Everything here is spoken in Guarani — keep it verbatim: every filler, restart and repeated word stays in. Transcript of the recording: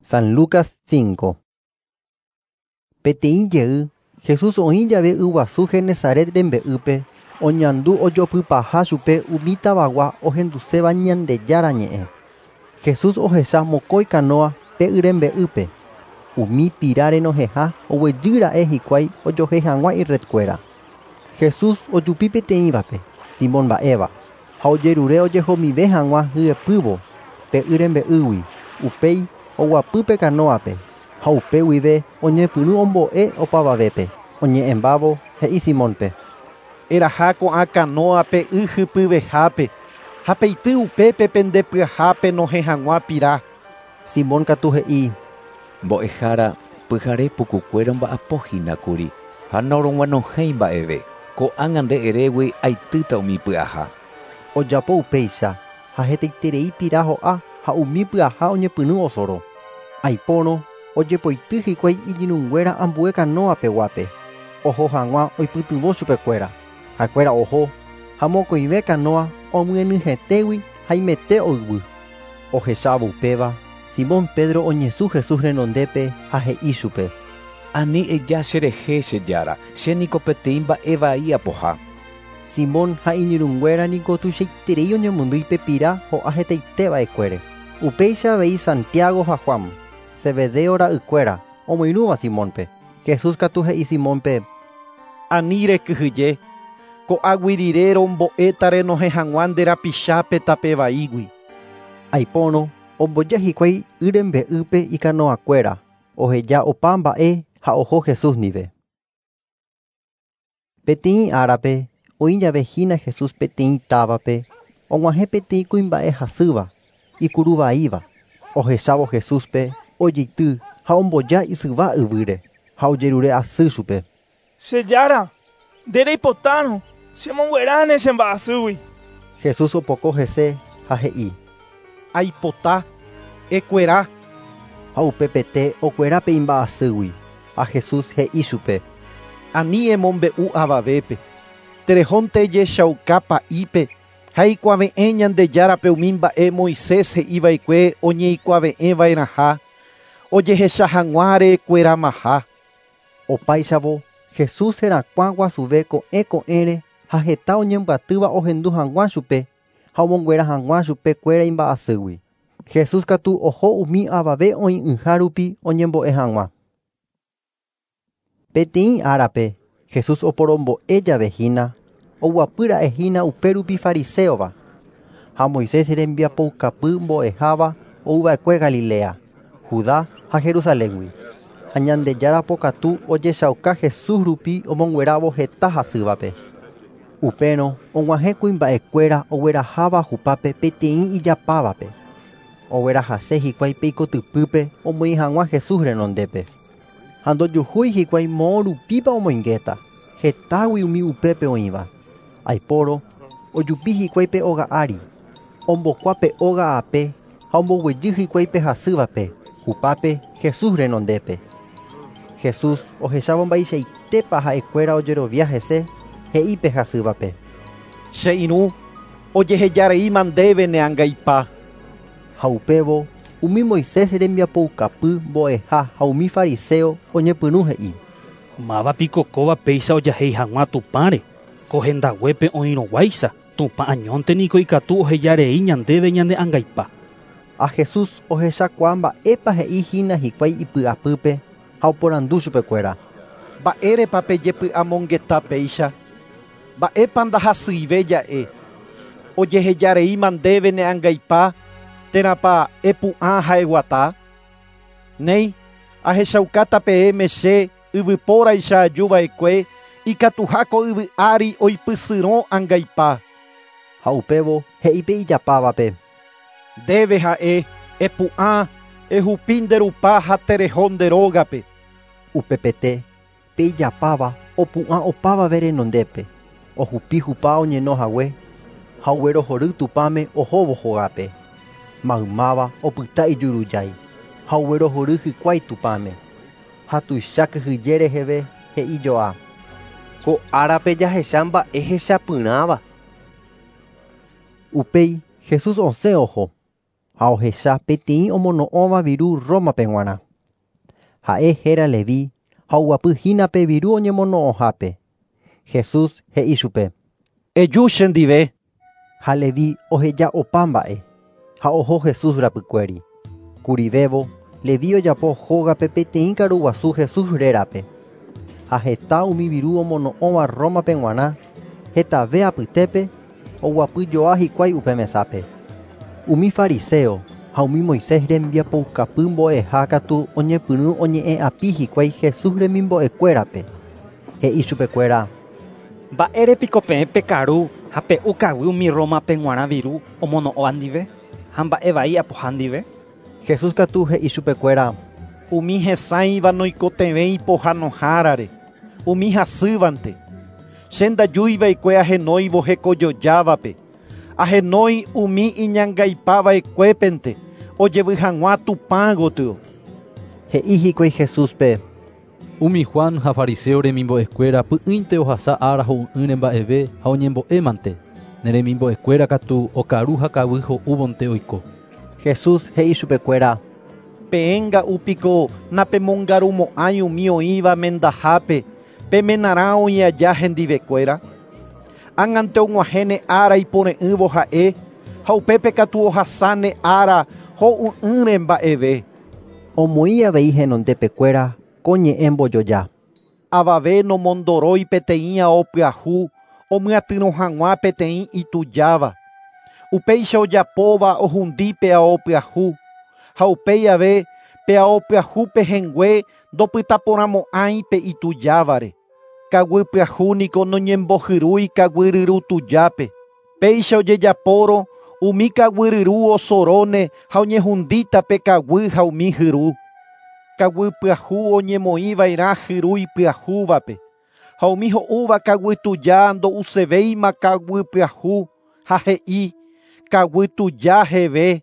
San Lucas cinco. Peteĩ jey, Jesús oĩ jave yguasu Genesaret rembe'ýpe, oñandu ojopypaha chupe umi tavagua ohenduséva Ñandejára ñe'ẽ. Jesús ohecha mokõi kanoa pe y rembe'ýpe. Umi pira renohẽha oguejýra'e hikuái ojohe hag̃ua irredkuéra. Jesús ojupi peteĩvape, Simón mba'éva, ha ojerure ojehomive hag̃ua hyepývo pe y rembe'ýgui, upéi oguapy pe kanoape, ha upe guive oñepyrũ ombo'e opavavépe, oñe'ẽmbávo he'i Simónpe. Eraha ko'ã kanoape y hypyvehápe, ha peity upépe pendepyahápe nohẽ hag̃ua pira. Simón katu he'i. Mbo'ehára pyhare pukukuéra omba'apohínakuri ha norog̃uanohẽi mba'eve. Ko'ág̃a nde erégui aitýta umi py'aha. Ojapo upéicha ha hetaiterei pira ho'a ha umi pyaha oñepyrũ osoro. Aipórõ ojepoity hikuái iñirũnguéra ambue kanoapeguápe. Oho hag̃ua oipytyvõ chupekuéra. Ha'ekuéra oho ha mokõive kanoa omyenyhẽtégui haimete oyvy. Ohechávo upéva, Simón Pedro oñesũ Jesús renondépe ha he'i chupe. Ani eja cherehe che Jára, chéniko peteĩ mba'e vai apoha. Simón ha iñirũnguéra niko tuichaiterei oñemondýi pe pira ho'a hetaiteva'ekuére. Upéicha avei Santiago ha Juan, Zebedeo ra'ykuéra, omoirũva Simónpe. Jesús katu he'i Simónpe. Ani rekyhyje, ko'águi rire rombo'éta renohẽ hag̃ua nde rapichápe tape vaígui. Aipórõ omboja hikuái y rembe'ýpe ikanoakuéra, oheja opa mba'e ha oho Jesús ndive. Peteĩ árape oĩ jave hína Jesús peteĩ távape, og̃uahẽ peteĩ kuimba'e hasýva, ikuruvaíva. Ohechávo Jesúspe ojeity ha omboja isyva yvýre ha ojerure asy chupe. Che Jára, nde reipotárõ, chemongueráne che mba'asýgui. Jesús opoko hese ha he'i. Aipota, ekuera. Ha upepete okuera pe imba'asýgui. Ha Jesús he'i chupe. Ani emombe'u avavépe. Terehónte ejechauka pa'ípe ha ikuave'ẽ Ñandejárape umi mba'e Moisés he'iva'ekue oñeikuave'ẽva'erãha ojehecha hag̃ua rekueramaha. Opáichavo, Jesús herakuã guasuve ko'ẽ ko'ẽre ha heta oñembyatýva ohendu hag̃ua chupe ha omonguera hag̃ua chupekuéra imba'asýgui. Jesús katu oho umi avave oĩ'ỹha rupi oñembo'e hag̃ua. Peteĩ árape, Jesús oporombo'e jave hína, oguapýra'e hína upérupi fariseova ha Moisés rembiapoukapy mbo'eháva ouva'ekue Galilea, Judá ha Jerusaléngui. Ha Ñandejára pokatu ojechauka Jesús rupi omonguerávo heta hasývape. Upérõ og̃uahẽ kuimba'ekuéra ogueraháva hupápe peteĩ ijapávape. Oguerahase hikuái pe ikotypýpe omoĩ hag̃ua Jesús renondépe. Ha ndojuhúi hikuái moõ rupípa omoingéta, hetágui umi upépe oĩva. Aipórõ ojupi hikuái pe óga ári, ombokua pe óga ape ha omboguejy hikuái pe hasývape, hupápe Jesús renondépe. Jesús ohechávo mba'eichaitépa ha'ekuéra ojerovia hese, he'i pe hasývape. Che irũ, ojehejareíma ndéve ne angaipa. Ha upévo umi Moisés rembiapoukapy mbo'eha ha umi fariseo oñepyrũ he'i. Mávapiko kóva péicha ojahéi hag̃ua Tupãre, ko hendaguépe oĩrõguáicha, Tupã añónte niko ikatu ohejarei ñandéve ñane angaipa. Ha Jesús ohechakuaa mba'épa he'i hína hikuái ipy'apýpe ha oporandu chupekuéra. Mba'érepa pejepy'amongeta péicha? Mba'épa ndahasyive ja'e? Ojehejareíma ndéve ne angaipa térãpa epu'ã ha eguata? Néi, ahechaukáta peẽme che yvypóraicha ajuva'ekue ikatuha ko yvy ári oipysyrõ angaipa. Ha upévo he'i pe ijapávape. Ndéve ha'e epu'ã ehupi nde rupa ha tereho nde rógape. Upepete pe ijapáva opu'ã opavave renondépe, ohupi hupa oñeno hague ha oguerohory Tupãme ohóvo hógape. Maymáva opyta ijurujái ha oguerohory hikuái Tupãme. Ha tuicha kyhyje reheve he'i joa. Ko árape jahecha mba'e hechapyrãva. Upéi Jesús osẽ oho. Ha ohecha peteĩ omono'õva viru Rómape g̃uarã. Ha'e héra Leví ha oguapyhína pe viru oñemono'õhápe. Jesús he'i chupe: Eju chendive. Ha Leví oheja opa mba'e ha oho Jesús rapykuéri. Kurivévo, Leví ojapo hógape peteĩ karuguasu Jesús rérape. Ha heta umi viru omono'õva Rómape g̃uarã, hetave apytépe oguapyjoa hikuái upe mesápe. Umi fariseo ha umi Moisés rembiapoukapy mbo'eha katu oñepyrũ oñe'ẽ'api hikuái Jesús remimbo'ekuérape. He'i chupekuéra: Mba'érepiko peẽ pekaru ha pe'u kaguy umi Rómape g̃uarã viru omono'õva ndive ha mba'e vai apoha ndive? Jesús katu he'i chupekuéra: Umi hesãiva noikotevẽi pohãnohárare, umi hasývante. Che ndajuiva'ekue ahenóivo hekojojávape, ahenói umi iñangaipava'ekuépente ojevy hag̃ua Tupã gotyo. He'i hikuái Jesúspe: Umi Juan ha fariseo remimbo'ekuéra py'ỹinte ohasa ára ho'u'ỹre mba'eve ha oñembo'émante. Ne remimbo'ekuéra katu okaru ha kaguy ho'úvonte oiko. Jesús he'i chupekuéra: Peẽ nga'úpiko napemongarumo'ãi umi oĩva mendahápe pemenarã oĩ aja hendivekuéra. Ág̃ante og̃uahẽne ára ipore'ỹvo ha'e ha upépe katu ohasáne ára ho'u'ỹre mba'eve. Omoĩ avei henondepekuéra ko ñe'ẽ mbojoja. Avave nomondorói peteĩ ao pyahu omyatyrõ hag̃ua peteĩ itujáva. Upéicha ojapóva ohundi pe ao pyahu ha upéi ave pe ao pyahu pehẽngue ndopytaporãmo'ãi pe itujávare. Kaguy pyahu niko noñembohyrúi kaguy ryru tujápe. Péicha ojejapórõ umi kaguy ryru osoróne ha oñehundíta pe kaguy ha umi hyru. Kaguy pyahu oñemoĩva'erã hyru ipyahúvape ha umi ho'úva kaguy tuja ndo'usevéima kaguy pyahu ha he'i kaguy tuja heve.